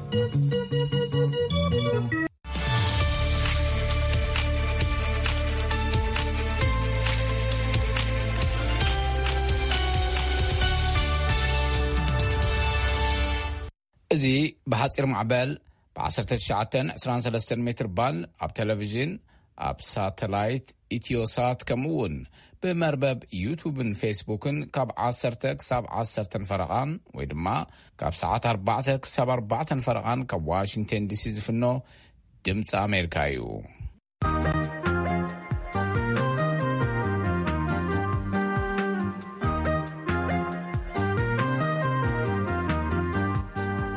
እዚ ብሓጺር ማዕበል ብ19 23 ሜትር ባል ኣብ ቴሌቪዥን፣ ኣብ ሳተላይት ኢትዮሳት፣ ከምኡ እውን ብመርበብ ዩቱብን ፌስቡክን ካብ 10 ክሳብ 10 ፈረቓን ወይ ድማ ካብ ሰዓት 4 ክሳብ 4 ፈረቓን ካብ ዋሽንግተን ዲሲ ዝፍኖ ድምፂ ኣሜሪካ እዩ።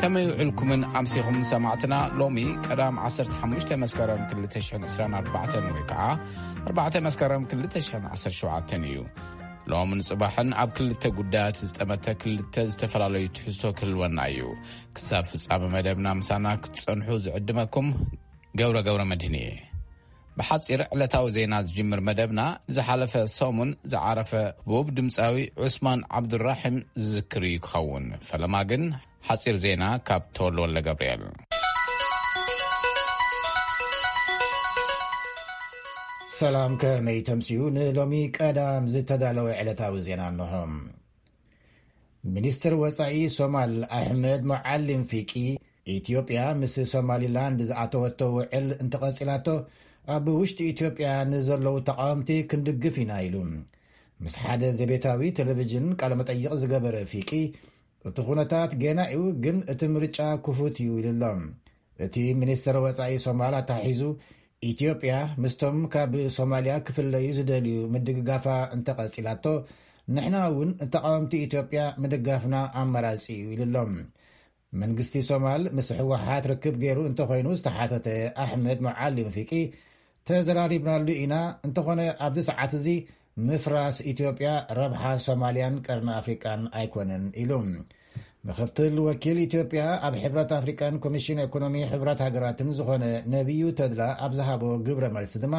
ከመይ ውዕልኩምን ኣምሲኹም ሰማዕትና? ሎሚ ቀዳም 15 መስከረም 2024 ወይ ከዓ 4 መስከረም 2017 እዩ። ሎምን ጽባሕን ኣብ ክልተ ጉዳያት ዝጠመተ ክልተ ዝተፈላለዩ ትሕዝቶ ክህልወና እዩ። ክሳብ ፍጻመ መደብና ምሳና ክትጸንሑ ዝዕድመኩም ገብረ ገብረ መድህን እየ። ብሓጺር ዕለታዊ ዜና ዝጅምር መደብና፣ ዝሓለፈ ሰሙን ዝዓረፈ ህቡብ ድምጻዊ ዑስማን ዓብዱራሒም ዝዝክር እዩ ክኸውን። ፈለማ ግን ሓጺር ዜና ካብ ተወልደ ወልደ ገብርኤል። ሰላም፣ ከመይ ተምስዩ? ንሎሚ ቀዳም ዝተዳለወ ዕለታዊ ዜና እንሆ። ሚኒስትር ወጻኢ ሶማል ኣሕመድ ሙዓሊም ፊቂ፣ ኢትዮጵያ ምስ ሶማሊላንድ ዝኣተወቶ ውዕል እንተቐጺላቶ፣ ኣብ ውሽጢ ኢትዮጵያ ንዘለዉ ተቓወምቲ ክንድግፍ ኢና ኢሉ። ምስ ሓደ ዘቤታዊ ቴሌቪዥን ቃለ መጠይቕ ዝገበረ ፊቂ፣ እቲ ኩነታት ጌና እዩ፣ ግን እቲ ምርጫ ክፉት እዩ ኢሉ ኣሎ። እቲ ሚኒስትር ወጻኢ ሶማል ኣተሓሒዙ፣ ኢትዮጵያ ምስቶም ካብ ሶማልያ ክፍለዩ ዝደልዩ ምድግጋፋ እንተቐጺላቶ፣ ንሕና እውን ተቓወምቲ ኢትዮጵያ ምድጋፍና ኣማራጺ እዩ ኢሉ ኣሎ። መንግስቲ ሶማል ምስ ህወሓት ርክብ ገይሩ እንተኾይኑ ዝተሓተተ ኣሕመድ ሙዓሊም ፊቂ፣ ተዘራሪብናሉ ኢና፣ እንተኾነ ኣብዚ ሰዓት እዚ ምፍራስ ኢትዮጵያ ረብሓ ሶማልያን ቀርኒ ኣፍሪቃን ኣይኮነን ኢሉ። ምኽትል ወኪል ኢትዮጵያ ኣብ ሕብረት ኣፍሪቃን ኮሚሽን ኢኮኖሚ ሕብረት ሃገራትን ዝኾነ ነቢዩ ተድላ ኣብ ዝሃቦ ግብረ መልሲ ድማ፣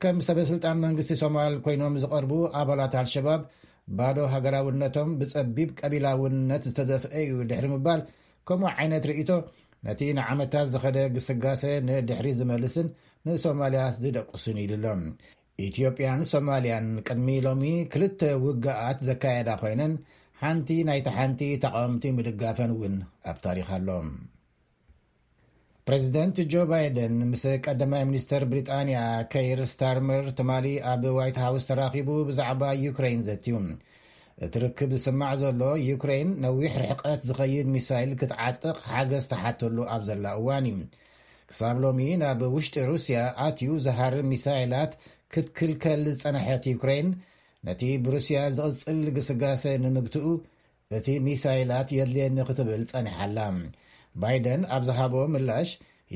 ከም ሰበ ስልጣን መንግስቲ ሶማል ኮይኖም ዝቐርቡ ኣባላት ኣልሸባብ ባዶ ሃገራውነቶም ብጸቢብ ቀቢላውነት ዝተደፍአ እዩ ድሕሪ ምባል፣ ከምኡ ዓይነት ርእይቶ ነቲ ንዓመታት ዝኸደ ግስጋሰ ንድሕሪ ዝመልስን ንሶማልያ ዝደቁስን ኢሉ ኣሎ። ኢትዮጵያን ሶማልያን ቅድሚ ሎሚ ክልተ ውግኣት ዘካየዳ ኮይነን፣ ሓንቲ ናይቲ ሓንቲ ተቓወምቲ ምድጋፈን እውን ኣብ ታሪኽ ኣሎ። ፕሬዚደንት ጆ ባይደን ምስ ቀዳማይ ሚኒስተር ብሪጣንያ ከይር ስታርመር ትማሊ ኣብ ዋይት ሃውስ ተራኺቡ ብዛዕባ ዩክሬን ዘትዩ። እቲ ርክብ ዝስማዕ ዘሎ፣ ዩክሬን ነዊሕ ርሕቀት ዝኸይድ ሚሳይል ክትዓጥቕ ሓገዝ ትሓተሉ ኣብ ዘላ እዋን እዩ። ክሳብ ሎሚ ናብ ውሽጢ ሩስያ ኣትዩ ዝሃርም ሚሳይላት ክትክልከል ዝጸንሐት ዩክሬን፣ ነቲ ብሩስያ ዝቕጽል ግስጋሰ ንምግትኡ እቲ ሚሳይላት የድልየኒ ክትብል ጸኒሓ ኣላ። ባይደን ኣብ ዝሃቦ ምላሽ፣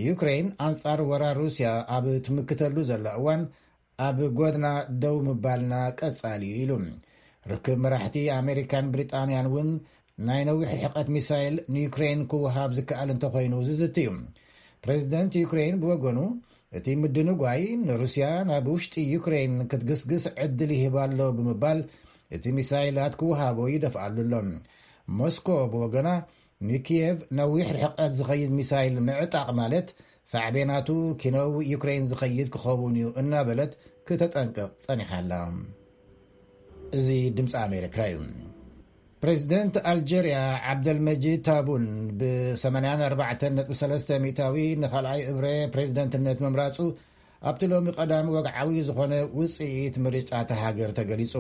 ዩክሬን ኣንጻር ወራር ሩስያ ኣብ ትምክተሉ ዘላ እዋን፣ ኣብ ጎድና ደው ምባልና ቀጻሊ እዩ ኢሉ። ርክብ መራሕቲ ኣሜሪካን ብሪጣንያን እውን ናይ ነዊሕ ርሕቀት ሚሳይል ንዩክሬን ክወሃብ ዝከኣል እንተኾይኑ ዝዝት እዩ። ፕሬዚደንት ዩክሬን ብወገኑ፣ እቲ ምድንጓይ ንሩስያ ናብ ውሽጢ ዩክሬን ክትግስግስ ዕድል ይህብ ኣሎ ብምባል፣ እቲ ሚሳይላት ክወሃቦ ይደፍኣሉ ኣሎ። ሞስኮ ብወገና፣ ንኪየቭ ነዊሕ ርሕቀት ዝኸይድ ሚሳይል ምዕጣቕ ማለት ሳዕቤናቱ ኪነው ዩክሬን ዝኸይድ ክኸውን እዩ እናበለት ክተጠንቅቕ ጸኒሓ ኣላ። እዚ ድምፂ ኣሜሪካ እዩ። ፕሬዚደንት ኣልጀርያ ዓብደልመጂድ ታቡን ብ84.3 ሚእታዊ ንኻልኣይ እብረ ፕሬዚደንትነት ምምራጹ ኣብቲ ሎሚ ቀዳም ወግዓዊ ዝኾነ ውጽኢት ምርጫ እታ ሃገር ተገሊጹ።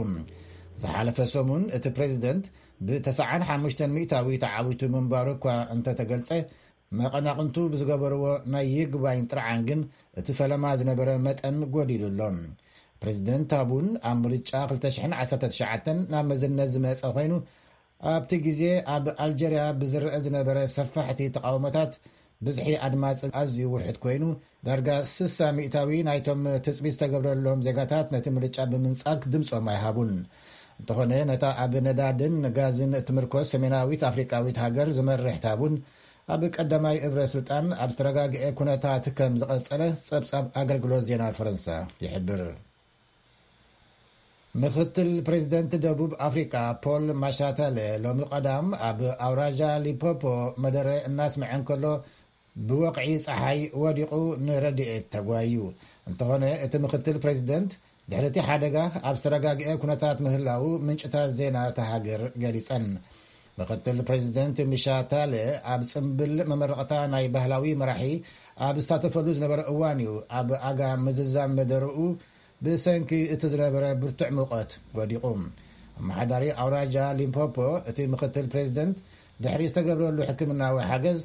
ዝሓለፈ ሰሙን እቲ ፕሬዚደንት ብ95 ሚእታዊ ተዓዊቱ ምንባሩ እኳ እንተተገልጸ፣ መቐናቕንቱ ብዝገበርዎ ናይ ይግባኝ ጥርዓን ግን እቲ ፈለማ ዝነበረ መጠን ጎዲሉ ኣሎ። ፕሬዚደንት ታቡን ኣብ ምርጫ 2019 ናብ መዝነት ዝመጸ ኮይኑ፣ ኣብቲ ግዜ ኣብ ኣልጀርያ ብዝረአ ዝነበረ ሰፋሕቲ ተቃውሞታት ብዝሒ ኣድማጺ ኣዝዩ ውሑድ ኮይኑ፣ ዳርጋ 60 ሚእታዊ ናይቶም ትጽቢት ዝተገብረሎም ዜጋታት ነቲ ምርጫ ብምንጻግ ድምጾም ኣይሃቡን። እንተኾነ፣ ነታ ኣብ ነዳድን ጋዝን እትምርኮስ ሰሜናዊት ኣፍሪቃዊት ሃገር ዝመርሕ ታቡን ኣብ ቀዳማይ እብረ ስልጣን ኣብ ዝተረጋግአ ኩነታት ከም ዝቐጸለ ጸብጻብ ኣገልግሎት ዜና ፈረንሳ ይሕብር። ምኽትል ፕሬዚደንት ደቡብ ኣፍሪቃ ፖል ማሻታለ ሎሚ ቀዳም ኣብ ኣውራጃ ሊፖፖ መደረ እናስምዐ እንከሎ ብወቕዒ ጸሓይ ወዲቑ ንረድኤት ተጓዩ። እንተኾነ እቲ ምኽትል ፕሬዚደንት ድሕሪ እቲ ሓደጋ ኣብ ዝተረጋግአ ኩነታት ምህላዉ ምንጭታት ዜና እታ ሃገር ገሊጸን። ምኽትል ፕሬዚደንት ሚሻታለ ኣብ ጽምብል መመረቕታ ናይ ባህላዊ መራሒ ኣብ ዝሳተፈሉ ዝነበረ እዋን እዩ ኣብ ኣጋ ምዝዛም መደርኡ ብሰንኪ እቲ ዝነበረ ብርቱዕ ሙቐት ወዲቑ። ኣመሓዳሪ ኣውራጃ ሊምፖፖ እቲ ምኽትል ፕሬዚደንት ድሕሪ ዝተገብረሉ ሕክምናዊ ሓገዝ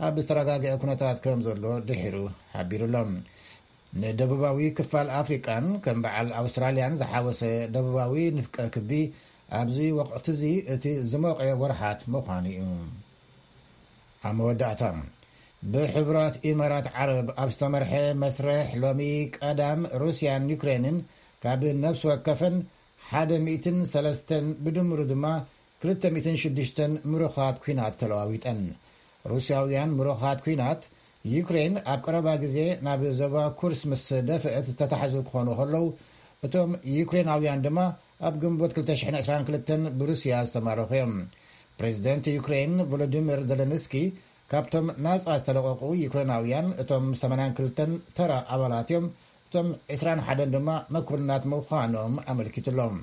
ኣብ ዝተረጋግአ ኩነታት ከም ዘሎ ድሒሩ ሓቢሩሎም። ንደቡባዊ ክፋል ኣፍሪቃን ከም በዓል ኣውስትራልያን ዝሓወሰ ደቡባዊ ንፍቀ ክቢ ኣብዚ ወቕቲ እዚ እቲ ዝሞቐ ወርሓት ምዃኑ እዩ። ኣብ መወዳእታ ብሕቡራት ኢማራት ዓረብ ኣብ ዝተመርሐ መስርሕ ሎሚ ቀዳም ሩስያን ዩክሬንን ካብ ነፍሲ ወከፈን ሓደ ሚእትን ሰለስተን ብድምሩ ድማ ክልተ ሚእትን ሽዱሽተን ምሩኻት ኲናት ተለዋዊጠን። ሩስያውያን ምሩኻት ኲናት ዩክሬን ኣብ ቀረባ ግዜ ናብ ዞባ ኩርስ ምስ ደፍአት ዝተታሕዙ ክኾኑ ከለዉ እቶም ዩክሬናውያን ድማ ኣብ ግንቦት ክልተ ሽሕን ዕስራን ክልተን ብሩስያ ዝተማረኹ እዮም። ፕሬዚደንት ዩክሬን ቮሎዲሚር ዘለንስኪ ካብቶም ናጻ ዝተለቐቑ ዩክሬናውያን እቶም ሰማንያን ክልተን ተራ ኣባላት እዮም። እቶም ዕስራን ሓደን ድማ መኮንናት ምዃኖም ኣመልኪቱሎም።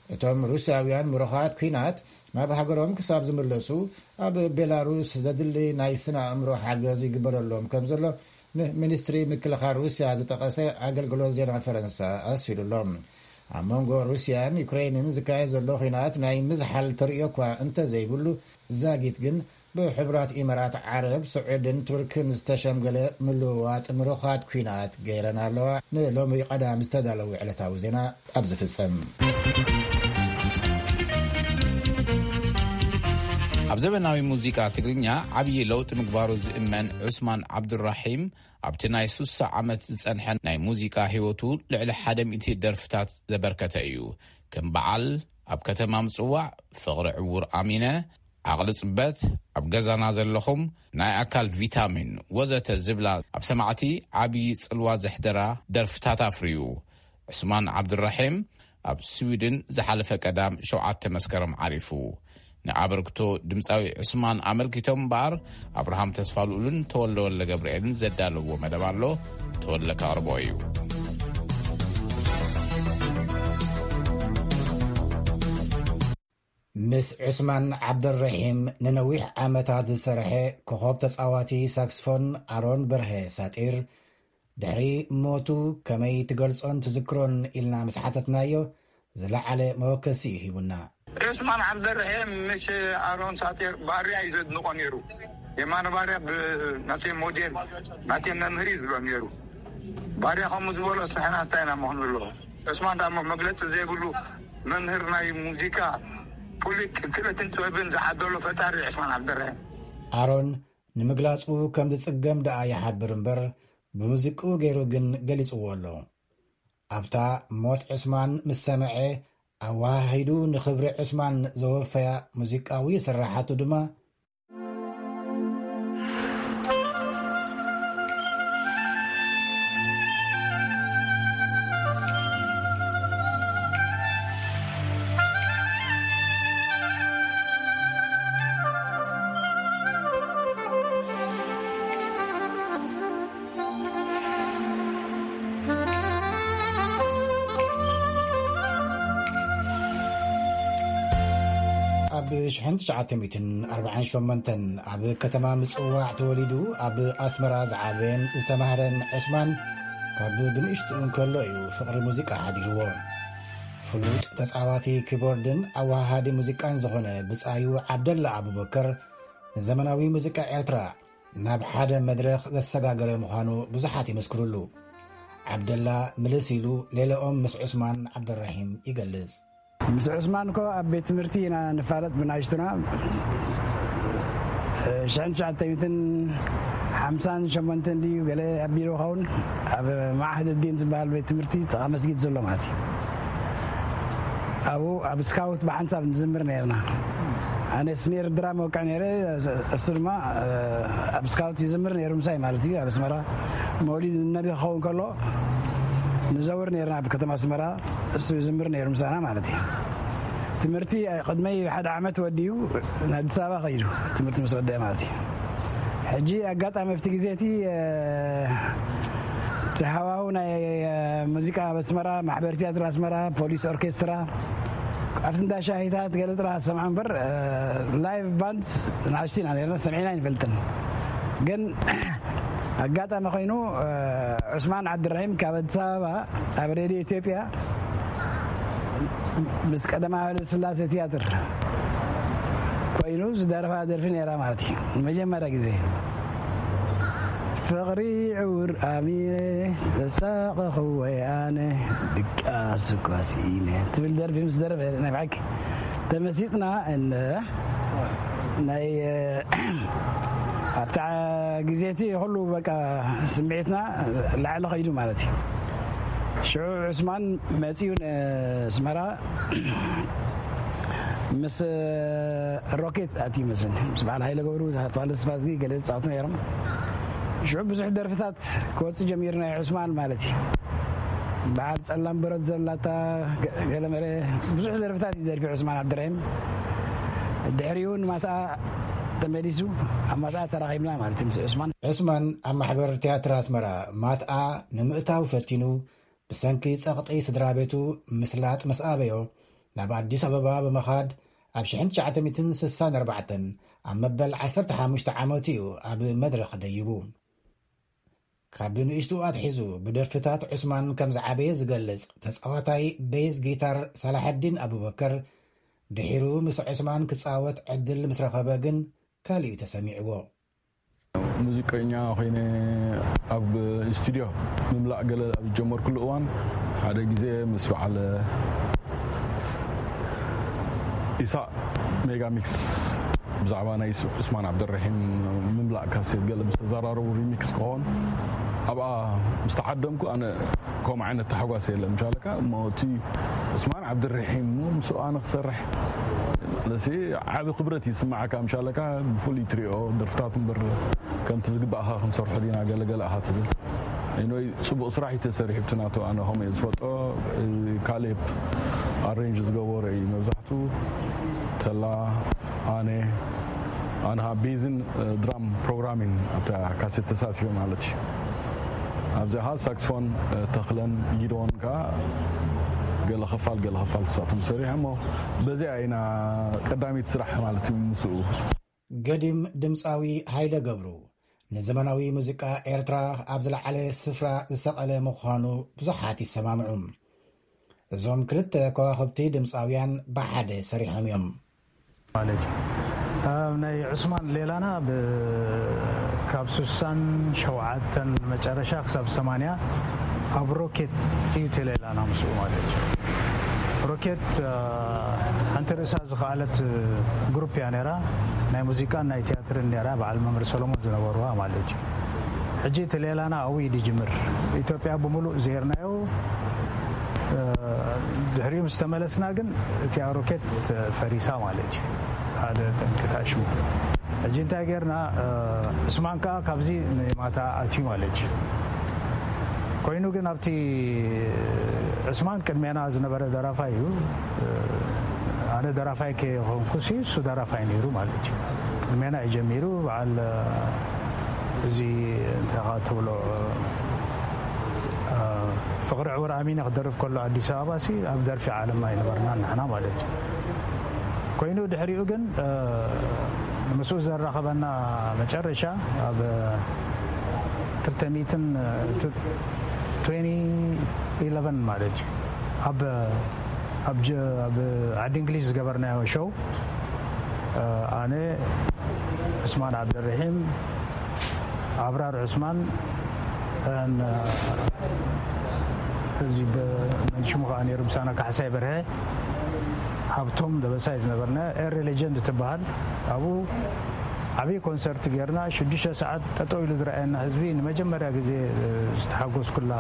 እቶም ሩስያውያን ምሩኻት ኲናት ናብ ሃገሮም ክሳብ ዝምለሱ ኣብ ቤላሩስ ዘድሊ ናይ ስነ ኣእምሮ ሓገዝ ይግበረሎም ከም ዘሎ ንሚኒስትሪ ምክልኻል ሩስያ ዝጠቐሰ ኣገልግሎት ዜና ፈረንሳ ኣስፊሩሎም። ኣብ መንጎ ሩስያን ዩክሬንን ዝካየድ ዘሎ ኲናት ናይ ምዝሓል ተርእዮ እኳ እንተዘይብሉ ዛጊት ግን ብሕቡራት ኢማራት ዓረብ ስዑድን ቱርክን ዝተሸምገለ ምልውዋጥ ምሩኻት ኲናት ገይረን ኣለዋ። ንሎሚ ቀዳም ዝተዳለወ ዕለታዊ ዜና ኣብዚ ፍጸም። ኣብ ዘበናዊ ሙዚቃ ትግርኛ ዓብዪ ለውጢ ምግባሩ ዝእመን ዑስማን ዓብዱራሒም ኣብቲ ናይ ሱሳ ዓመት ዝጸንሐ ናይ ሙዚቃ ህይወቱ ልዕሊ ሓደ ሚእቲ ደርፍታት ዘበርከተ እዩ። ከም በዓል ኣብ ከተማ ምጽዋዕ፣ ፍቕሪ ዕዉር ኣሚነ፣ ዓቕሊ ጽበት፣ ኣብ ገዛና ዘለኹም፣ ናይ ኣካል ቪታሚን ወዘተ ዝብላ ኣብ ሰማዕቲ ዓብዪ ጽልዋ ዘሕደራ ደርፍታት ኣፍርዩ። ዑስማን ዓብዱራሒም ኣብ ስዊድን ዝሓለፈ ቀዳም ሸውዓተ መስከረም ዓሪፉ። ንኣበርክቶ ድምፃዊ ዑስማን ኣመልኪቶም እምበኣር ኣብርሃም ተስፋልኡልን ተወልደ ወልደ ገብርኤልን ዘዳለውዎ መደብ ኣሎ። ተወልደ ከቕርቦ እዩ። ምስ ዑስማን ዓብደረሒም ንነዊሕ ዓመታት ዝሰርሐ ኮኸብ ተጻዋቲ ሳክስፎን ኣሮን በርሀ ሳጢር ድሕሪ ሞቱ ከመይ ትገልጾን ትዝክሮን ኢልና ምስ ሓተትናዮ ዝለዓለ መወከሲ እዩ ሂቡና። ዑስማን ዓብደረሒም ምስ ኣሮን ሳጢር ባርያ እዩ ዘድንቆ ነይሩ። የማነ ባርያ ብ-፣ ናተይ ሞዴል፣ ናተይ መምህር እዩ ዝብሎ ነይሩ። ባርያ ከምኡ ዝበሎ ንሕና እንታይ ኢና ምኾን ዘለዎ? ዑስማን ደኣ እሞ መግለጺ ዘይብሉ መምህር ናይ ሙዚቃ፣ ፍሉይ ክእለትን ጥበብን ዝዓደሎ ፈጣሪ ዑስማን ዓብደረሒም። ኣሮን ንምግላጹ ከም ዝጽገም ደኣ ይሓብር እምበር፣ ብሙዚቅኡ ገይሩ ግን ገሊጽዎ ኣሎ። ኣብታ ሞት ዑስማን ምስ ሰምዐ፣ ኣወሃሂዱ ንኽብሪ ዑስማን ዘወፈያ ሙዚቃዊ ስርሓቱ ድማ ኣብ ሽሕን ትሽዓተ ሚእትን ኣርባዓን ሸሞንተን ኣብ ከተማ ምጽዋዕ ተወሊዱ ኣብ ኣስመራ ዝዓበየን ዝተማህረን ዕስማን፣ ካብ ብንእሽትኡ እንከሎ እዩ ፍቕሪ ሙዚቃ ሓዲርዎ። ፍሉጥ ተጻዋቲ ኪቦርድን ኣወሃሃዲ ሙዚቃን ዝኾነ ብጻዩ ዓብደላ ኣቡበከር፣ ንዘመናዊ ሙዚቃ ኤርትራ ናብ ሓደ መድረኽ ዘሰጋገረ ምዃኑ ብዙሓት ይመስክሩሉ። ዓብደላ ምልስ ኢሉ ሌላኦም ምስ ዑስማን ዓብደራሂም ይገልጽ። ምስ ዑስማን እኮ ኣብ ቤት ትምህርቲ ኢና ንፋለጥ ብናይሽቱና። ሽሕን ትሽዓተ ሚእትን ሓምሳን ሸሞንተን ድዩ ገለ ኣቢሉ ኸውን ኣብ ማዕህድ ዲን ዝበሃል ቤት ትምህርቲ ጥቓ መስጊድ ዘሎ ማለት እዩ። ኣብኡ ኣብ ስካውት ብሓንሳብ ንዝምር ነርና። ኣነ ስኔር ድራም ወቅዕ ነይረ፣ እሱ ድማ ኣብ ስካውት ይዝምር ነይሩ ምሳይ ማለት እዩ። ኣብ ኣስመራ መውሊድ ነቢ ክኸውን ከሎ ንዘውር ነርና ኣብ ከተማ ኣስመራ። እሱ ይዝምር ነይሩ ምሳና ማለት እዩ። ትምህርቲ ቅድመይ ሓደ ዓመት ወዲኡ ንኣዲስ ኣበባ ከይዱ ትምህርቲ ምስ ወደአ ማለት እዩ። ሕጂ ኣጋጣሚ ኣብቲ ግዜ እቲ እቲ ሃዋሁ ናይ ሙዚቃ ኣብ ኣስመራ፣ ማሕበር ትያትር ኣስመራ፣ ፖሊስ ኦርኬስትራ፣ ኣብቲ እንዳ ሻሂታት ገለ ጥራሕ ሰምዓ እምበር፣ ላይቭ ባንድ ንኣሽቱ ኢና ነርና፣ ሰሚዕና ኣይንፈልጥን። ግን ኣጋጣሚ ኮይኑ ዑስማን ዓብድራሂም ካብ ኣዲስ ኣበባ ኣብ ሬድዮ ኢትዮጵያ ምስ ቀደማዊ ኃይለ ሥላሴ ትያትር ኮይኑ ዝደረፋ ደርፊ ነይራ ማለት እዩ። ንመጀመርያ ግዜ ፍቕሪ ዕውር ኣሚረ ተሳቐኹ ወይ ኣነ ድቃስ እኳ ስኢነ ትብል ደርፊ ምስ ደረፈ ናይ ብሓቂ ተመሲጥና። እነ ናይ ኣብታ ግዜ እቲ ኩሉ በቃ ስምዒትና ላዕሊ ከይዱ ማለት እዩ። ሽዑ ዑስማን መፂኡ ንስመራ ምስ ሮኬት ኣትዩ መስለኒ ምስ በዓል ሃይለ ገብሩ ተፋለ ስፋዝጊ ገለ ዝፃወቱ ነይሮም። ሽዑ ብዙሕ ደርፍታት ክወፅእ ጀሚሩ ናይ ዑስማን ማለት እዩ። በዓል ፀላም በረድ ዘላታ ገለመለ ብዙሕ ደርፍታት ይደርፊ ዑስማን ዓብድራሂም። ድሕሪኡ ንማትኣ ተመሊሱ ኣብ ማትኣ ተራኺብና ማለት እዩ ምስ ዑስማን። ዑስማን ኣብ ማሕበር ትያትር ኣስመራ ማትኣ ንምእታው ፈቲኑ ብሰንኪ ጸቕጢ ስድራ ቤቱ ምስላጥ ምስ ኣበዮ ናብ ኣዲስ ኣበባ ብምኻድ ኣብ ሽሕን ትሽዓተ ሚእትን ስሳን ኣርባዕተን ኣብ መበል ዓሰርተ ሓሙሽተ ዓመቱ እዩ ኣብ መድረኽ ደይቡ። ካብ ንእሽቱ ኣትሒዙ ብደርፍታት ዑስማን ከም ዝዓበየ ዝገልጽ ተጻዋታይ ቤዝ ጊታር ሳላሐዲን ኣቡበከር ድሒሩ ምስ ዑስማን ክጻወት ዕድል ምስ ረኸበ ግን ካልእ እዩ ተሰሚዕዎ። ሙዚቀኛ ኮይነ ኣብ ስቱድዮ ምምላእ ገለ ኣብ ዝጀመርኩሉ እዋን ሓደ ግዜ ምስ በዓል ኢሳቕ ሜጋ ሚክስ ብዛዕባ ናይ ዑስማን ዓብደረሒም ምምላእ ካሴት ገለ ምስ ተዘራረቡ ሪሚክስ ክኾን ኣብኣ ምስ ተዓደምኩ ኣነ ከምኡ ዓይነት ተሓጓስ የለን ምሻለካ እሞ እቲ ዑስማን ዓብደረሒም እሞ ምስኡ ኣነ ክሰርሕ ለሲ ዓቢ ክብረት ይስማዓካ ምሻለካ ብፍሉይ ትሪኦ ደርፍታት እምበር ከምቲ ዝግባእኻ ክንሰርሖ ዲና ገለገለ ኣኻ ትብል ኢኖይ ጽቡቕ ስራሕ እዩ ተሰሪሑ ብቲ ናቱ ኣነ ከምኡ እየ ዝፈልጦ። ካሌብ ኣሬንጅ ዝገበሮ እዩ መብዛሕቱ ተላ ኣነ ኣነ ኻ ቤዝን ድራም ፕሮግራሚን ኣብታ ካሴት ተሳቲፈ ማለት እዩ። ኣብዚኣ ኻ ሳክስፎን ተኽለን ጊዶን ከዓ ገለ ኽፋል ገለ ኽፋል ተሳቶም ሰሪሐ እሞ በዚኣ ኢና ቀዳሚት ስራሕ ማለት እዩ ምስኡ። ገዲም ድምፃዊ ሃይለ ገብሩ ንዘመናዊ ሙዚቃ ኤርትራ ኣብ ዝለዓለ ስፍራ ዝሰቐለ ምዃኑ ብዙሓት ይሰማምዑ። እዞም ክልተ ከዋኽብቲ ድምፃውያን ብሓደ ሰሪሖም እዮም። ማለት እዩ። ኣብ ናይ ዑስማን ሌላና ብ-፣ ካብ ስሳን ሸውዓተን መጨረሻ ክሳብ ሰማንያ ኣብ ሮኬት እዩ እቲ ሌላና ምስኡ ማለት እዩ። ሮኬት፣ እ፣ ሓንቲ ርእሳ ዝኸኣለት ግሩፕ እያ ነይራ። ናይ ሙዚቃን ናይ ቲያትርን ነይራ፣ በዓል መምህር ሰሎሞን ዝነበርዋ ማለት እዩ። ሕጂ እቲ ሌላና ኣብኡ እዩ ዝጅምር። ኢትዮጵያ ብምሉእ ዜርናዮ፣ እ፣ ድሕሪኡ ምስ ተመለስና ግን እቲኣ ሮኬት ፈሪሳ ማለት እዩ። ሓደ ጠንቂ ታሽሙ። ሕጂ እንታይ ጌርና፣ እ፣ ዑስማን ከኣ ካብዚ ንማታ ኣትዩ ማለት እዩ። ኮይኑ ግን ኣብቲ ዑስማን ቅድሜና ዝነበረ ደራፋይ እዩ። እ፣ ኣነ ደራፋይ ከይኮንኩሲ እሱ ደራፋይ ነይሩ ማለት እዩ። ቅድሜና እዩ ጀሚሩ። በዓል፣ እ፣ እዚ እንታይ ትብሎ፣ እ፣ ፍቕሪ ዕውር ኣሚነ ክደርፍ ከሎ ኣዲስ ኣበባ ሲ ኣብ ደርፊ ዓለምና ኣይነበርና ንሕና ማለት እዩ። ኮይኑ ድሕሪኡ ግን፣ እ፣ ምስኡ ዘራኸበና መጨረሻ ኣብ ክልተ ሚእትን፣ እ፣ ቱ-፣ ትዌንቲ ኢለቨን ማለት እዩ። ኣብ፣ ኣብ ጀ-፣ ኣብ ዓዲ እንግሊዝ ዝገበርናዮ ሾው፣ እ፣ ኣነ፣ ዑስማን ዓብደርሒም፣ ኣብራር ዑስማን፣ ን-፣ እዚ ብ-፣ መን ሽሙ ከኣ ነይሩ ምሳና ካሕሳይ በርሀ፣ ሃብቶም ደበሳይ ዝነበርና ኤሪ ሌጀንድ ትበሃል። ኣብኡ ዓብዪ ኮንሰርት ጌርና፣ ሽዱሽተ ሰዓት ጠጠው ኢሉ ዝረኣየና ህዝቢ ንመጀመርያ ግዜ፣ እ፣ ዝተሓጎስኩላ፣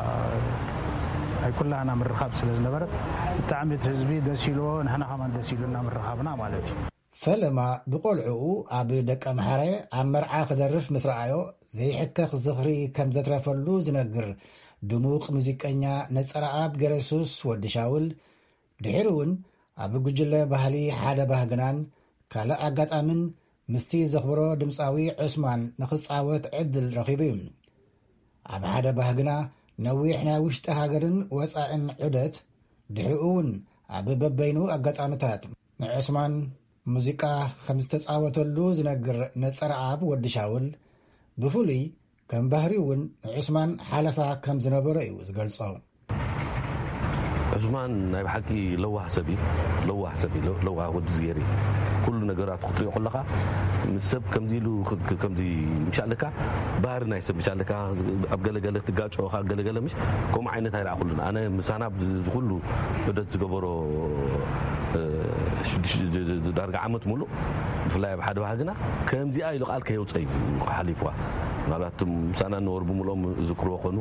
ናይ ኩላህና ምርኻብ ስለ ዝነበረት፣ ብጣዕሚ እቲ ህዝቢ ደስ ኢልዎ፣ ንሕና ከማን ደስ ኢሉና ምርኻብና ማለት እዩ። ፈለማ ብቆልዕኡ ኣብ ደቀምሓረ ኣብ መርዓ ክደርፍ ምስ ረኣዮ ዘይሕከኽ ዝኽሪ ከም ዘትረፈሉ ዝነግር ድሙቕ ሙዚቀኛ ነጸረኣብ ገረሱስ ወዲ ሻውል፣ ድሒሩ እውን ኣብ ጉጅለ ባህሊ ሓደ ባህግናን ካልእ ኣጋጣምን ምስቲ ዘኽብሮ ድምጻዊ ዑስማን ንኽጻወት ዕድል ረኺቡ እዩ። ኣብ ሓደ ባህግና ነዊሕ ናይ ውሽጢ ሃገርን ወጻእን ዑደት፣ ድሕሪኡ እውን ኣብ በበይኑ ኣጋጣምታት ንዑስማን ሙዚቃ ከም ዝተጻወተሉ ዝነግር ነጸረኣብ ወዲ ሻውል፣ ብፍሉይ ከም ባህሪ እውን ንዑስማን ሓለፋ ከም ዝነበሮ እዩ ዝገልጾ። ዑስማን ናይ ብሓቂ ለዋህ ሰብ እዩ። ለዋህ ሰብ እዩ። ለዋህ ወዲ ዝገሪ ኩሉ ነገራቱ ክትሪኦ ከለኻ ምስ ሰብ ከምዚ ኢሉ ከምዚ ምሻለካ ባህሪ ናይ ሰብ ምሻለካ ኣብ ገለገለ ትጋጨኻ ገለገለ ምሽ ከምኡ ዓይነት ኣይረኣኹሉን ኣነ ምሳና ዝኩሉ ዑደት ዝገበሮ ዳርጋ ዓመት ሙሉእ ብፍላይ ኣብ ሓደ ባህግና ከምዚኣ ኢሉ ቃል ከየውፀ እዩ ሓሊፍዋ። ምናልባት ምሳና ነበሩ ብምልኦም ዝክርዎ ኮኑ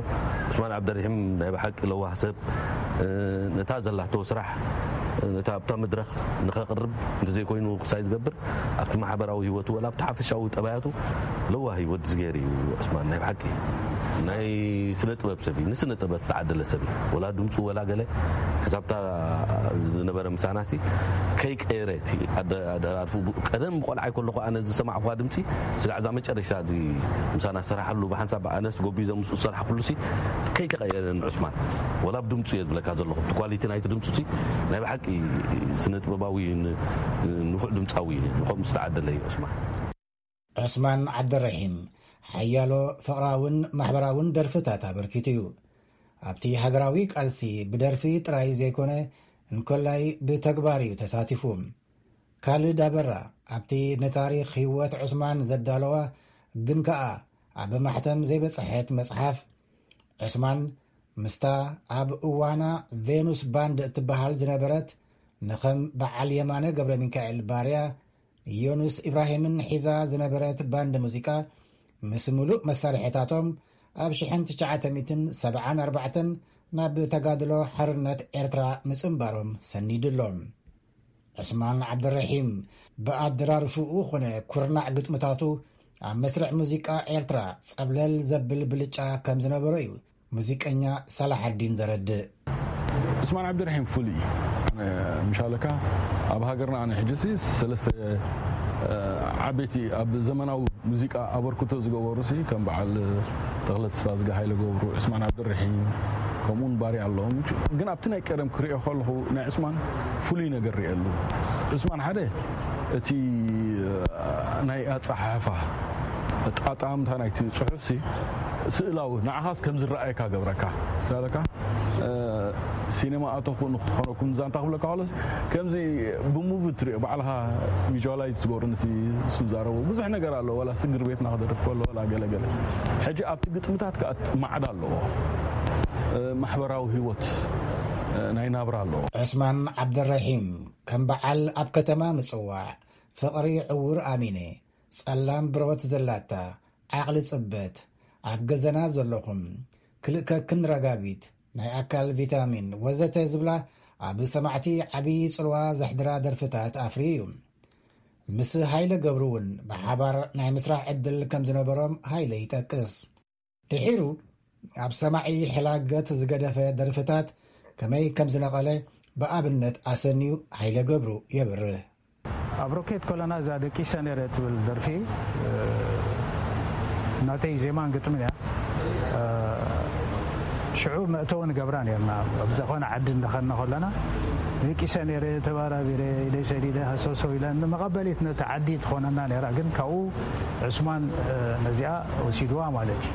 ዑስማን ዓብደርሒም ናይ ብሓቂ ለዋህ ሰብ ነታ ዘላቶ ስራሕ ነታ ኣብታ መድረኽ ንኸቕርብ እንተዘይኮይኑ ክሳይ ዝገብር ኣብቲ ማሕበራዊ ህይወቱ ወላ ኣብቲ ሓፈሻዊ ጠባያቱ ለዋህ እዩ ወዲ ዝገር እዩ። ዑስማን ናይ ብሓቂ ናይ ስነ ጥበብ ሰብ እዩ። ንስነ ጥበብ ተዓደለ ሰብ እዩ። ወላ ድምፁ ወላ ገለ ክሳብታ ዝነበረ ምሳና ሲ ከይቀየረ እቲ ኣደራርፉ ቀደም ቆልዓ ይኮለኹ ኣነ ዝሰማዕኳ ድምፂ ስጋዕ እዛ መጨረሻ እዚ ምሳና ዝሰራሓሉ ብሓንሳብ ኣነስ ጎቢዞም ምስኡ ዝሰራሕኩሉ ሲ ከይተቐየረ ንዑስማን ወላ ብድምፁ እየ ዝብለካ ዘለኹ እቲ ኳሊቲ ናይቲ ድምፁ ሲ ናይ ብሓቂ ስነ ጥበባዊ ንፉዕ ድምፃዊ ንኸምኡ ዝተዓደለ እዩ ዑስማን። ዑስማን ዓብደረሒም ሓያሎ ፍቕራውን ማሕበራውን ደርፍታት ኣበርኪቱ እዩ። ኣብቲ ሃገራዊ ቃልሲ ብደርፊ ጥራይ ዘይኮነ እንኮላይ ብተግባር እዩ ተሳቲፉ። ካልድ ኣበራ ኣብቲ ንታሪኽ ህይወት ዑስማን ዘዳለዋ ግን ከኣ ኣብ ማሕተም ዘይበጽሐት መጽሓፍ ዑስማን ምስታ ኣብ እዋና ቬኑስ ባንድ እትበሃል ዝነበረት ንኸም በዓል የማነ ገብረ ሚካኤል ባርያ ንዮኑስ ኢብራሂምን ሒዛ ዝነበረት ባንድ ሙዚቃ ምስ ምሉእ መሳርሒታቶም ኣብ ሽሕን ትሽዓተ ሚእትን ሰብዓን ኣርባዕተን ናብ ተጋድሎ ሓርነት ኤርትራ ምጽንባሮም ሰኒዱ ኣሎ። ዑስማን ዓብደረሒም ብኣደራርፍኡ ኾነ ኩርናዕ ግጥምታቱ ኣብ መስርዕ ሙዚቃ ኤርትራ ጸብለል ዘብል ብልጫ ከም ዝነበሮ እዩ ሙዚቀኛ ሳላሓዲን ዘረድእ። ዑስማን ዓብደረሒም ፍሉይ እዩ። ምሻለካ ኣብ ሃገርና ኣነ ሕጂ ሲ ሰለስተ ዓበይቲ ኣብ ዘመናዊ ሙዚቃ ኣበርክቶ ዝገበሩ ሲ ከም በዓል ተኽለ ተስፋዝጊ፣ ሃይለ ገብሩ፣ ዑስማን ዓብደረሒም ከምኡውን ባርያ ኣለዎም። ግን ኣብቲ ናይ ቀደም ክሪኦ ከለኹ ናይ ዑስማን ፍሉይ ነገር ሪኤሉ። ዑስማን ሓደ እቲ ናይ ኣጸሓሕፋ ጣጣምታ ናይቲ ጽሑፍ ሲ ስእላዊ ንዓኻስ ከም ዝረኣየካ ገብረካ። ምሻለካ ሲኔማ ኣተኹ ንክኾነኩም ዛንታ ክብለካ ከሎስ ከምዚ ብሙቪ ትሪኦ ባዕልኻ ቪዥዋላይዝ ትገብሩ ነቲ ዝዛረቡ ብዙሕ ነገር ኣሎ። ወላ ስግር ቤትና ክደርፍ ከሎ ወላ ገለገለ ሕጂ ኣብቲ ግጥምታት ከኣ ማዕዳ ኣለዎ። ማሕበራዊ ህይወት ናይ ናብራ ኣለዎ። ዑስማን ዓብደረሒም ከም በዓል ኣብ ከተማ ምጽዋዕ ፍቕሪ ዕውር ኣሚነ ጸላም ብሮት ዘላታ ዓቕሊ ጽበት ኣብ ገዘና ዘለኹም ክልእከክን ረጋቢት ናይ ኣካል ቪታሚን ወዘተ ዝብላ ኣብ ሰማዕቲ ዓብዪ ጽልዋ ዘሕድራ ደርፍታት ኣፍርዩ እዩ። ምስ ሃይለ ገብሩ እውን ብሓባር ናይ ምስራሕ ዕድል ከም ዝነበሮም ሃይለ ይጠቅስ። ድሒሩ ኣብ ሰማዒ ሕላገት ዝገደፈ ደርፍታት ከመይ ከም ዝነቐለ ብኣብነት ኣሰንዩ ሃይለ ገብሩ የብርህ። ኣብ ሮኬት ኮለና እዛ ደቂሰ ነረ ትብል ደርፊ ናተይ ዜማን ግጥምን እያ። ሽዑ መእተዊ ንገብራ ነርና ኣብ ዝኾነ ዓዲ እንደኸድና ከለና ደቂሰ ነረ ተባራቢረ ኢደይ ሰዲደ ሃሰውሰው ኢለን ንመቐበሊት ነቲ ዓዲ ትኾነና ነራ። ግን ካብኡ ዑስማን ነዚኣ ወሲድዋ ማለት እዩ።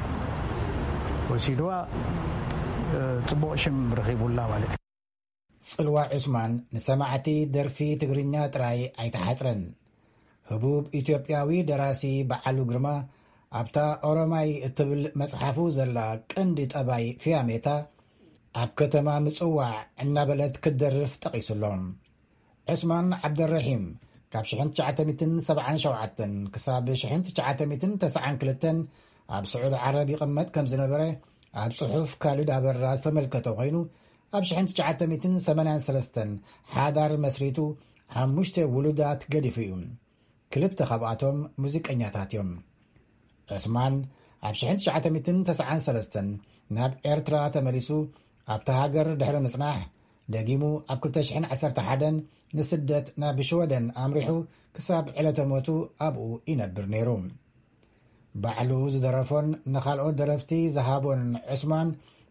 ወሲድዋ ጽቡቕ ሽም ረኺቡላ ማለት እዩ። ጽልዋ ዑስማን ንሰማዕቲ ደርፊ ትግርኛ ጥራይ ኣይተሓጽረን። ህቡብ ኢትዮጵያዊ ደራሲ በዓሉ ግርማ ኣብታ ኦሮማይ እትብል መጽሓፉ ዘላ ቀንዲ ጠባይ ፍያሜታ ኣብ ከተማ ምጽዋዕ እናበለት ክትደርፍ ጠቒሱሎም። ዑስማን ዓብደረሒም ካብ ሽሕን ትሽዓተ ሚእትን ሰብዓን ሸውዓተን ክሳብ ሽሕን ትሽዓተ ሚእትን ተስዓን ክልተን ኣብ ስዑዲ ዓረብ ይቕመጥ ከም ዝነበረ ኣብ ጽሑፍ ካልድ ኣበራ ዝተመልከተ ኮይኑ ኣብ ሽሕን ትሽዓተ ሚእትን ሰማንያን ሰለስተን ሓዳር መስሪቱ ሓሙሽተ ውሉዳት ገዲፉ እዩ። ክልተ ካብኣቶም ሙዚቀኛታት እዮም። ዑስማን ኣብ ሽሕን ትሽዓተ ሚእትን ተስዓን ሰለስተን ናብ ኤርትራ ተመሊሱ ኣብታ ሃገር ድሕሪ ምጽናሕ፣ ደጊሙ ኣብ ክልተ ሽሕን ዓሰርተ ሓደን ንስደት ናብ ሽወደን ኣምሪሑ፣ ክሳብ ዕለተ ሞቱ ኣብኡ ይነብር ነይሩ። ባዕሉ ዝደረፎን ንኻልኦት ደረፍቲ ዝሃቦን ዑስማን፣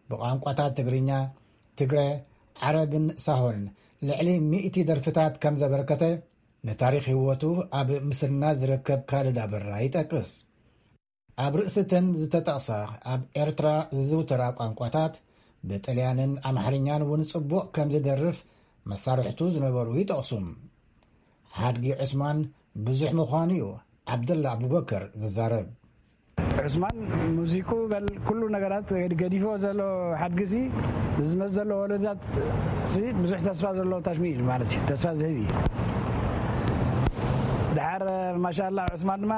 ብቋንቋታት ትግርኛ፣ ትግረ፣ ዓረብን ሳሆን ልዕሊ ሚእቲ ደርፍታት ከም ዘበርከተ፣ ንታሪኽ ህይወቱ ኣብ ምስናድ ዝርከብ ካልድ ኣበራ ይጠቅስ። ኣብ ርእስተን ዝተጠቕሳ ኣብ ኤርትራ ዝዝውተራ ቋንቋታት፣ ብጥልያንን ኣምሓርኛን እውን ጽቡቕ ከም ዝደርፍ መሳርሕቱ ዝነበሩ ይጠቕሱ። ሓድጊ ዑስማን ብዙሕ ምዃኑ እዩ ዓብደላ ኣቡበከር ዝዛረብ። ዑስማን ሙዚቁ በል ኩሉ ነገራት ገዲፎ ዘሎ ሓድጊ ሲ ንዝመጽእ ዘሎ ወለዶታት ሲ ብዙሕ ተስፋ ዘለዎ ታሽሚ እዩ ማለት እዩ። ተስፋ ዝህብ እዩ። ድሓር ማሻላ ዑስማን ድማ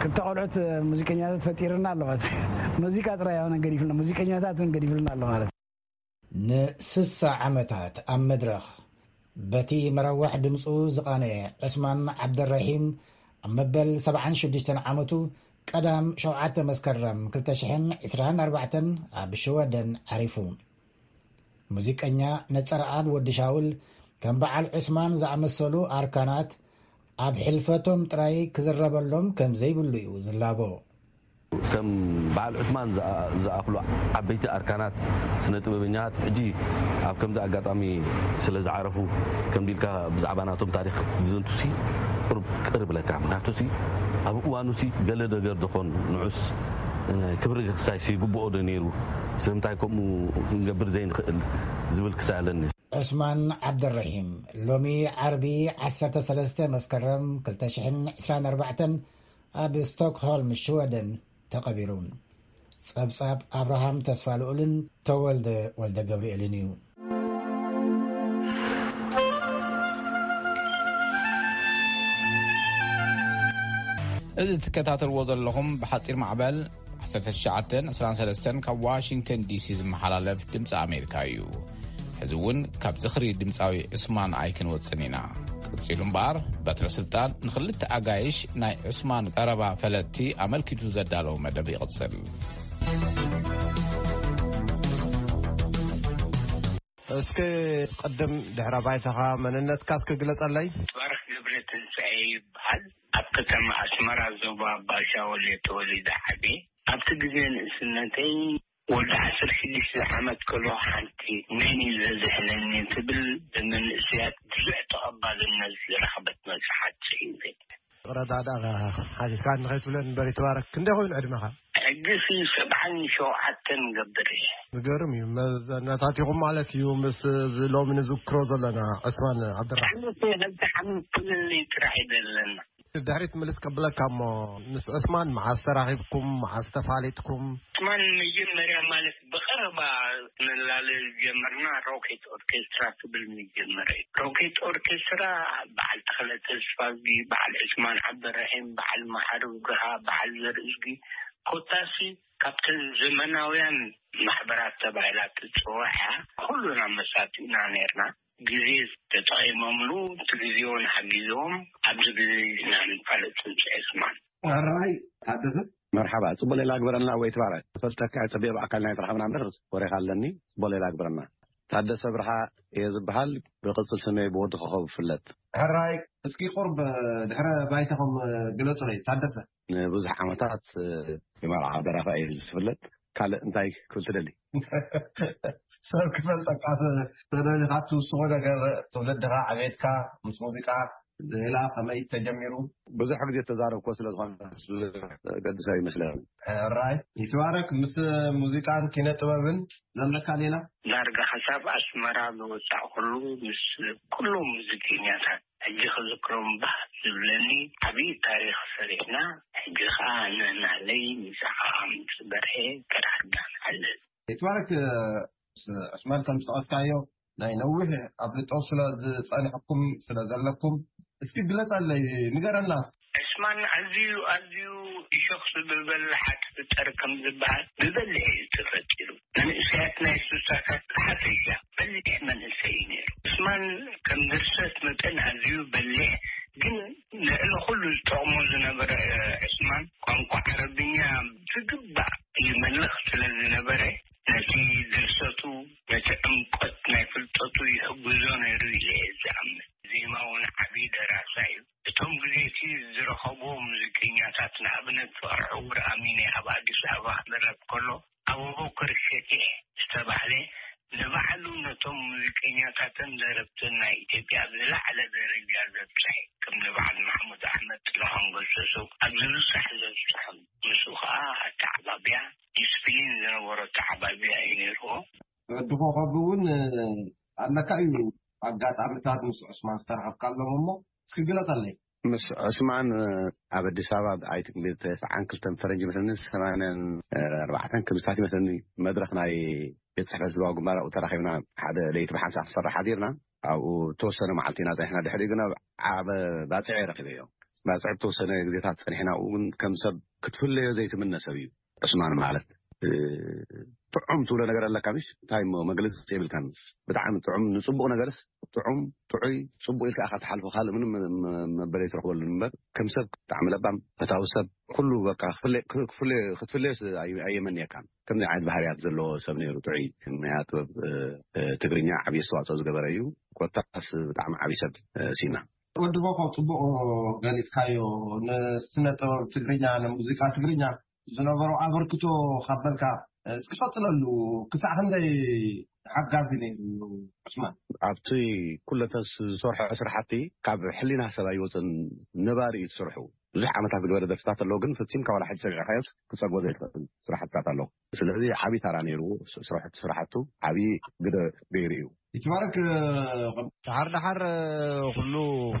ክልተ ቆልዑት ሙዚቀኛታት ፈጢርና ኣሎ ማለት እዩ። ሙዚቃ ጥራይ ኣይኮነን ገዲፍልና፣ ሙዚቀኛታት እውን ገዲፍልና ኣሎ ማለት እዩ። ንስሳ ዓመታት ኣብ መድረኽ በቲ መረዋሕ ድምፁ ዝቓነየ ዑስማን ዓብደራሂም፣ ኣብ መበል ሰብዓን ሽዱሽተን ዓመቱ ቀዳም ሸውዓተ መስከረም ክልተ ሽሕን ዕስራን ኣርባዕተን ኣብ ሽወደን ዓሪፉ። ሙዚቀኛ ነጸረኣብ ወዲ ሻውል ከም በዓል ዑስማን ዝኣመሰሉ ኣርካናት ኣብ ሕልፈቶም ጥራይ ክዝረበሎም ከም ዘይብሉ እዩ ዝላቦ። ከም በዓል ዑስማን ዝኣ- ዝኣኽሉ ዓበይቲ ኣርካናት ስነ ጥበበኛታት ሕጂ ኣብ ከምዚ ኣጋጣሚ ስለ ዝዓረፉ፣ ከምዚ ኢልካ ብዛዕባ ናቶም ታሪኽ ክትዝንቱሲ ቁሩብ ቅር ብለካ። ምክንያቱሲ ኣብ እዋኑሲ ገለ ነገር ዶኾን ንዑስ ክብሪ ክሳይሲ ግብኦ ዶ ነይሩ? ስለምንታይ ከምኡ ክንገብር ዘይንኽእል ዝብል ክሳይ ኣለኒ። ዑስማን ዓብደረሒም ሎሚ ዓርቢ ዓሰርተ ሰለስተ መስከረም ክልተ ሽሕን ዕስራን ኣርባዕተን ኣብ ስቶክሆልም ሽወደን ተቐቢሩ። ጸብጻብ ኣብርሃም ተስፋልኡልን ተወልደ ወልደ ገብርኤልን እዩ። እዚ ትከታተልዎ ዘለኹም ብሓጺር ማዕበል ዓሰርተ ትሽዓተ ዕስራን ሰለስተን ካብ ዋሽንግተን ዲሲ ዝመሓላለፍ ድምፂ ኣሜሪካ እዩ። ሕዚ እውን ካብ ዝኽሪ ድምፃዊ ዑስማን ኣይክንወፅን ኢና። ቀፂሉ እምበኣር በትረ ስልጣን ንኽልተ ኣጋይሽ ናይ ዑስማን ቀረባ ፈለጥቲ ኣመልኪቱ ዘዳለዎ መደብ ይቕፅል። እስኪ ቅድም ድሕረ ባይታኻ መንነትካ እስኪ ግለጸለይ። ባርኽ ገብረ ትንሳኤ ይበሃል። ኣብ ከተማ ኣስመራ ዞባ ባሻወል እየ ተወሊደ ዓብየ። ኣብቲ ግዜ ንእስነተይ ወዲ ዓሰርተ ሽዱሽተ ዓመት ከሎ ሓንቲ መን እዩ ዘዝሕለኒ ትብል ብመንእሰያት ብዙሕ ተቐባልነት ዝረኸበት መጽሓፍ ጽሒፈ። ረዳዳ ሓቲትካ ንኸይትብለን እምበር ይትባረክ። ክንደይ ኮይኑ ዕድመኻ? ሕጂ ሲ ሰብዓን ሸውዓተን ገብር እየ። ዝገርም እዩ። መዘናታቲኹም ማለት እዩ ምስ እዚ ሎሚ ንዝክሮ ዘለና ዕስማን ዓብደራሕማን። ዓመት ክልተ ዓመት ፍልልይ ጥራሕ እዩ ዘለና። ድሕሪት ምልስ ከብለካ እሞ ምስ ዕስማን መዓስ ተራኺብኩም መዓስ ተፋሊጥኩም? ዕስማን መጀመርያ ማለት ብቐረባ ክንላለይ ዝጀመርና ሮኬት ኦርኬስትራ ክብል ምጀመረ እዩ። ሮኬት ኦርኬስትራ በዓል ተኽለ ተስፋዝጊ፣ በዓል ዕስማን ዓብደራሒም፣ በዓል መሓሪ ውግሃ፣ በዓል ዘርእዝጊ ኮታሲ ካብተን ዘመናውያን ማሕበራት ተባሂላ ትፅዋዕ እያ። ኩሉና መሳቲና ነርና። ግዜ ተጠቒሞምሉ እቲ ግዜውን ሓጊዞም ኣብዚ ግዜ ኢና ንፋለጥ ፅንፂ ዕስማን። ሕራይ ታደሰ። መርሓባ፣ ጽቡቕ ሌላ ግበረልና ወይ ትባረክ። ፈልጠካ ጽቡቕ ብኣካል ናይ ተረኸብና እምበር ወሬኻ ኣለኒ። ጽቡቕ ሌላ ግበረልና። ታደሰ ብርሃ እየ ዝበሃል፣ ብቕጽል ስመይ ብወዲ ኮኸብ እፍለጥ። ሕራይ እስኪ ቁርብ ድሕረ ባይታኹም ግለጹለይ ታደሰ። ንብዙሕ ዓመታት የማርዓ ደራፋይ እየ ዝፍለጥ። ካልእ እንታይ ክብል ትደሊ? ሰብ ክፈልጠካ ተደሊኻ ትውስኾ ነገር ትውልድኻ፣ ዕቤትካ ምስ ሙዚቃ ሌላ ከመይ ተጀሚሩ? ብዙሕ ግዜ ተዛረብኮ ስለ ዝኾነ ገድስ ኣይመስለኒ። ሕራይ ይትባረክ። ምስ ሙዚቃን ኪነ ጥበብን ዘለካ ሌላ? ዳርጋ ክሳብ ኣስመራ ዝወፃእኩሉ ምስ ኩሎም ሙዚቀኛታት ሕጂ ክዝክሮም ባህ ዝብለኒ ዓብዪ ታሪኽ ሰሪሕና። ሕጂ ኸዓ ነናለይ ንስኻ ምስ በርሄ ተራኽብና ንሓልፍ። ይትባረክ። ዕስማን ከም ዝጠቐስካዮ ናይ ነዊሕ ኣፍልጦ ስለ ዝጸንሐኩም ስለ ዘለኩም እስኪ ግለጸለይ ንገረና። ዕስማን ኣዝዩ ኣዝዩ እሾኽ ዝብበል ሓት ፍጠር ከም ዝበሃል ብበሊሕ እዩ ተፈጢሩ። መንእሰያት ናይ ሱሳታት ብሓፈሻ በሊሕ መንእሰይ እዩ ነይሩ። ዕስማን ከም ድርሰት መጠን ኣዝዩ በሊሕ ግን ልዕሊ ኩሉ ዝጠቕሞ ዝነበረ ዕስማን ቋንቋ ዓረብኛ ብዝግባእ ይመልኽ ስለ ዝነበረ፣ ነቲ ድርሰቱ፣ ነቲ ዕምቆት ናይ ፍልጠቱ ይሕግዞ ነይሩ ኢለ እየ ዝኣምን። ዜማ እውን ዓብዪ ደራሳ እዩ። እቶም ግዜ እቲ ዝረኸቦ ሙዚቀኛታት፣ ንኣብነት ፍቕረ ዕውር ኣሚነ ኣብ ኣዲስ ኣበባ ክደረፍ ከሎ፣ ኣቡበከር ሸቴ ዝተባህለ ንባዕሉ ነቶም ሙዚቀኛታትን ደረፍትን ናይ ኢትዮጵያ ኣብ ዝለዓለ ደረጃ ዘብጽሐ፣ ከም ንበዓል ማሕሙድ ኣሕመድ፣ ጥላሁን ገሰሱ ኣብ ዝብጻሕ ዘብጽሖም። ምስኡ ከኣ ኣተዓባብያ፣ ዲስፕሊን ዝነበሮ ኣተዓባብያ እዩ ነይርዎ። ወዲ ኮኸብ እውን ኣለካ እዩ ኣጋጣሚታት ምስ ዑስማን ዝተረኸብካሎም እሞ እስኪ ግለጸለይ። ምስ ዑስማን ኣብ ኣዲስ ኣበባ ኣብ ኣይትንቤት ተስዓን ክልተን ፈረንጂ መስለኒ ሰማንያን ኣርባዕተን ክምሳት ይመስለኒ መድረኽ ናይ ቤት ጽሕፈት ህዝባዊ ግንባር ኣብኡ ተራኺብና ሓደ ለይቲ ብሓንሳእ ክንሰርሕ ሓዲርና ኣብኡ ተወሰነ መዓልቲ ኢና ጸኒሕና። ድሕሪኡ ግን ኣብ ዓበ ባጽዕ ረኺበዮ። ባጽዕ ተወሰነ ግዜታት ጸኒሕና ኣብኡ ግን ከም ሰብ ክትፍለዮ ዘይትምነ ሰብ እዩ። ዕስማን ማለት ጥዑም ትብሎ ነገር ኣለካ ምሽ እንታይ እሞ መግለፂ የብልካን። ብጣዕሚ ጥዑም ንፅቡቅ ነገርስ ጥዑም ጥዑይ ፅቡቅ ኢልካ ኢካ ትሓልፎ ካልእ ምንም መበለይ ትረክበሉ እምበር ከም ሰብ ብጣዕሚ ለባም ፈታዊ ሰብ ኩሉ በቃ ክትፍለዮ ክትፍለዮስ ኣየመንየካን። ከምዚ ዓይነት ባህርያት ዘለዎ ሰብ ነይሩ ጥዑይ ናይ ጥበብ ትግርኛ ዓብዪ ኣስተዋፅኦ ዝገበረ እዩ። ኮታስ ብጣዕሚ ዓብዪ ሰብ ሲና። ወዲ ኮኾብ ፅቡቅ ገሊፅካዮ። ንስነ ጥበብ ትግርኛ ንሙዚቃ ትግርኛ ዝነበሮ ኣበርክቶ ካብ በልካ እስኪ ቀፅለሉ። ክሳዕ ክንደይ ሓጋዚ ነይሩ ዑስማን? ኣብቲ ኩለተ ዝሰርሖ ስራሕቲ ካብ ሕሊና ሰብ ኣይወፅን። ነባሪ እዩ ትሰርሑ ብዙሕ ዓመታት ዝገበረ ደርፍታት ኣለዎ ግን ፍፂም ካብ ዋላ ሕጂ ሰሚዕካዮስ ክፀግቦ ዘይትኽእል ስራሕትታት ኣለዎ። ስለዚ ዓብዪ ታራ ነይርዎ። ስራሕቱ ዓብዪ ግደ ገይሩ እዩ። ይትባረክ። ደሓር ደሓር ኩሉ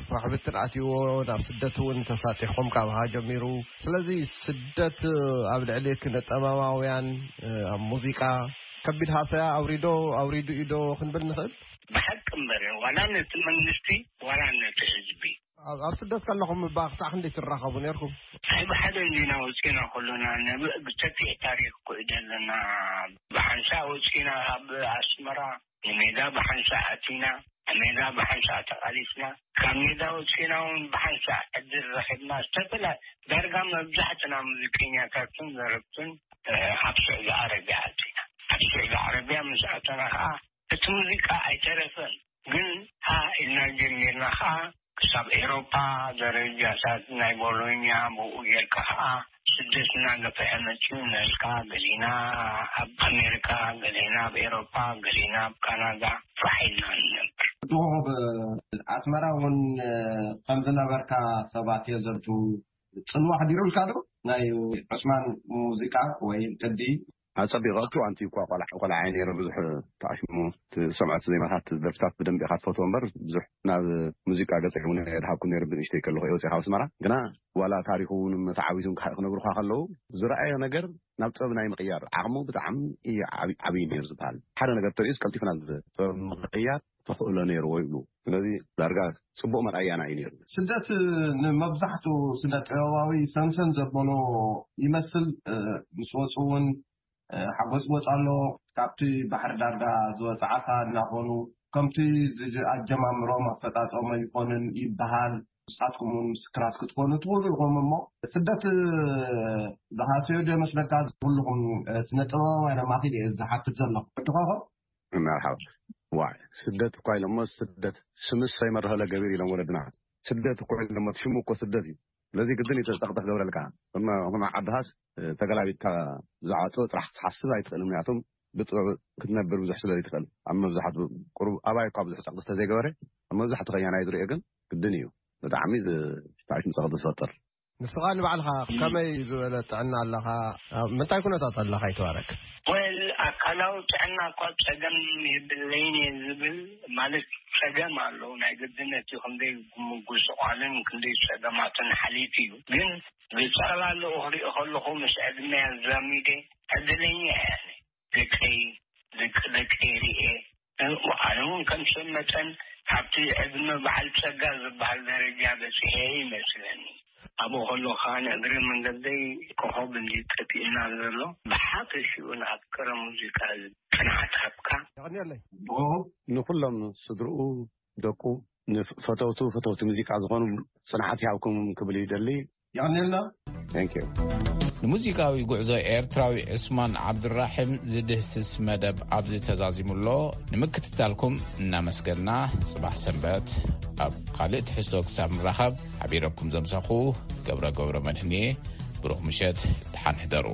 ፋሕብትን ኣትይዎ ናብ ስደት እውን ተሳጢሕኩም ካብሃ ጀሚሩ። ስለዚ ስደት ኣብ ልዕሊ ክነጠባባውያን ኣብ ሙዚቃ ከቢድ ሃሰያ ኣውሪዶ ኣውሪዱ እዩ ዶ ክንብል ንኽእል? ብሓቂ እምበር ዋላ ነቲ መንግስቲ ዋላ ነቲ ህዝቢ ኣብ ስደት ከለኹም እባ ክሳዕ ክንደይ ትራኸቡ ነርኩም? ኣይ ብሓደ እንዲና ወፂና ከሎና ነብእ ብሰፊሕ ታሪክ ኮዩ ዘለና። ብሓንሳእ ወፂና ኣብ ኣስመራ ንሜዳ ብሓንሳእ ኣቲና፣ ኣብ ሜዳ ብሓንሳእ ተቃሊስና፣ ካብ ሜዳ ወፂና እውን ብሓንሳእ ዕድል ረኪብና። ዝተፈላ ዳርጋ መብዛሕትና ሙዚቀኛታትን ዘረብትን ኣብ ስዑዲ ዓረብያ ኣቲና። ኣብ ስዑዲ ዓረብያ ምስ ኣተና ከዓ እቲ ሙዚቃ ኣይተረፈን። ግን ሃ ኢልና ጀሚርና ከዓ ክሳብ ኤሮፓ ደረጃታት ናይ ቦሎኛ ብኡ ጌርካ ከዓ ስደትና ገፍሐ መፅኡ ነልካ ገሊና ኣብ ኣሜሪካ ገሊና ኣብ ኤሮፓ ገሊና ኣብ ካናዳ ፋሕ ኢልና ንነብር። ድኹም ኣስመራ እውን ከምዝነበርካ ሰባት የዘንቱ ጽልዋ ኣሕዲሩልካ ዶ ናይ ዑስማን ሙዚቃ ወይ ቅዲ? ኣጸቢቐ ኣብቲ እዋንቲ እኳ ቆልዓ ቆልዓ እየ ነይረ ብዙሕ ተኣሽሙ ትሰምዖ እቲ ዜማታት ደርፍታት ብደንብ ኢኻ ትፈትዎ እምበር ብዙሕ ናብ ሙዚቃ ገጸይ እውን ኣይድሃብኩ ነይረ ብንእሽተይ ከለኹ እየ ወፂኻ ኣስመራ ግና ዋላ ታሪኹ እውን ተዓዊቱን ክነግሩኻ ከለዉ ዝረኣዮ ነገር ናብ ጥበብ ናይ ምቕያር ዓቕሙ ብጣዕሚ እዩ ዓብዪ ነይሩ ዝበሃል ሓደ ነገር ተርእዩስ ቀልጢፉ ናብ ጥበብ ምቕያር ተኽእሎ ነይርዎ ይብሉ ስለዚ ዳርጋ ፅቡቕ መርኣያና እዩ ነይሩ። ስደት ንመብዛሕቱ ስነ ጥበባዊ ሰምሰም ዘበሎ ይመስል ምስ ወፁ እውን ሓጎፅጎፅ ኣሎ ካብቲ ባሕሪ ዳርጋ ዝወፀ ዓሳ እናኾኑ ከምቲ ኣጀማምሮም ኣፈፃፀሞ ይኾንን ይበሃል ንስኻትኩም እውን ምስክራት ክትኾኑ ትኽእሉ ኢኹም እሞ ስደት ዝሃሰዮ ዶ ይመስለካ ኩልኹም ስነ ጥበባውያን ኣማኺል እየ ዝሓትት ዘለኹ ወድኻኸ መርሓባ ዋይ ስደት እኳ ኢሎሞ ስደት ስምስ ሰይመርሀለ ገቢር ኢሎም ወለድና ስደት እኮ ኢሎሞ ሽሙ እኮ ስደት እዩ ስለዚ ግድን እዩ ተፀቕጢ ክገብረልካ እሞ ዓድኻስ ተገላቢጥካ ዝዓፅኦ ጥራሕ ክትሓስብ ኣይትኽእልን ምክንያቱም ብጥበብ ክትነብር ብዙሕ ስለ ዘይትኽእል ኣብ መብዛሕትኡ ቁሩብ ኣባይ እኳ ብዙሕ ፀቕጢ ስለዘይገበረ ኣብ መብዛሕትኡ ከያናይ ዝሪኦ ግን ግድን እዩ ብጣዕሚ ታሪክ ፀቕጢ ዝፈጥር ንስኻ ንባዕልኻ ከመይ ዝበለ ጥዕና ኣለኻ? ኣብ ምንታይ ኩነታት ኣለኻ ይትባረክ? ወል ኣካላዊ ጥዕና እኳ ጸገም የብለይን እየ ዝብል ማለት ጸገም ኣለዉ ናይ ግድነት እዩ ክንደይ ምጉስቋልን ክንደይ ጸገማትን ሓሊፉ እዩ ግን ብጠቕላላኡ ክሪኦ ከለኹ ምስ ዕድመይ ኣዛሚደ ዕድለኛ እየ ኣነ ደቀይ ደቂ ደቀይ ርኤ ኣነ እውን ከም ሰብ መጠን ካብቲ ዕድመ በዓል ጸጋ ዝበሃል ደረጃ በጺሐ ይመስለኒ። ኣብኡ ከለኹ ከኣ ንእግረ መንገደይ ኮኾብ እንድዩ ጠፊኡና ዘሎ። ብሓፈሽኡ ንኣፍቀረ ሙዚቃ ጽንዓት ሃብካ። የቐንየለይ። ንኹሎም ስድርኡ ደቁ፣ ንፈተውቱ ፈተውቲ ሙዚቃ ዝኾኑ ጽንዓት ይሃብኩም ክብል ይደሊ። የቐንየልና። Thank you። ንሙዚቃዊ ጉዕዞ ኤርትራዊ ዑስማን ዓብዱራሒም ዝድህስስ መደብ ኣብዚ ተዛዚሙ ኣሎ። ንምክትታልኩም እናመስገና፣ ጽባሕ ሰንበት ኣብ ካልእ ትሕዝቶ ክሳብ ንራኸብ፣ ሓቢረኩም ዘምሰኹ ገብረ ገብረ መድህንየ። ብሩኽ ምሸት፣ ደሓን ሕደሩ።